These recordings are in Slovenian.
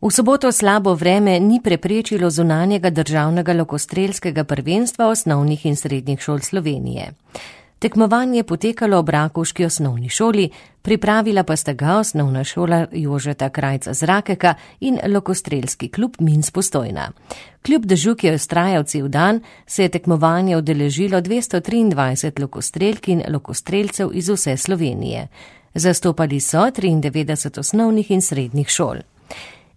V soboto slabo vreme ni preprečilo zunanjega državnega lokostrelskega prvenstva osnovnih in srednjih šol Slovenije. Tekmovanje je potekalo ob rakovški osnovni šoli, pripravila pa sta ga osnovna šola Jožeta Krajca z Rakeka in lokostrelski klub Minsk Postojna. Kljub dežju, ki je vztrajal cel dan, se je tekmovanje udeležilo 223 lokostrelk in lokostrelcev iz vse Slovenije. Zastopali so 93 osnovnih in srednjih šol.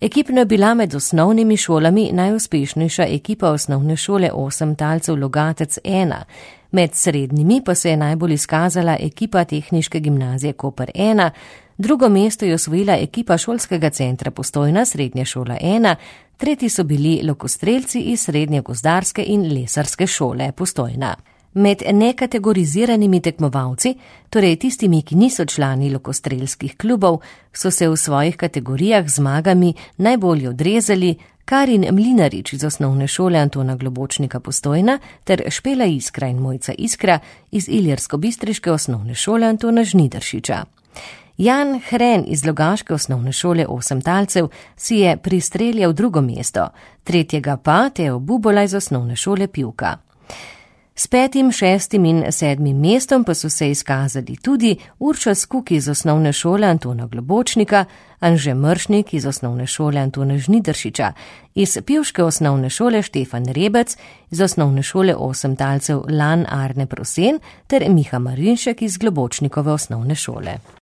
Ekipno je bila med osnovnimi šolami najuspešnejša ekipa osnovne šole 8 talcev Logatec 1. Med srednjimi pa se je najbolj izkazala ekipa Tehniške gimnazije Koper 1, drugo mesto je osvojila ekipa Šolskega centra Postojna Srednja šola 1, tretji so bili lokostrelci iz Srednje gozdarske in lesarske šole Postojna. Med nekategoriziranimi tekmovalci, torej tistimi, ki niso člani lokostrelskih klubov, so se v svojih kategorijah z zmagami najbolje odrezali Karin Mlinarič iz osnovne šole Antona Globočnika Postojna ter Špela Iskra in Mojca Iskra iz Iljersko-bistriške osnovne šole Antona Žnidaršiča. Jan Hren iz Logaške osnovne šole 8 talcev si je pristreljal drugo mesto, tretjega pa Teo Bubola iz osnovne šole Pivka. S 5., 6. in 7. mestom pa so se izkazali tudi Urša Skuk iz osnovne šole Antona Globočnika, Anže Mršnik iz osnovne šole Antona Žnidaršiča, iz pivške osnovne šole Štefan Rebec, iz osnovne šole 8 talcev Lan Arne Prosen ter Miha Marinšek iz Globočnikove osnovne šole.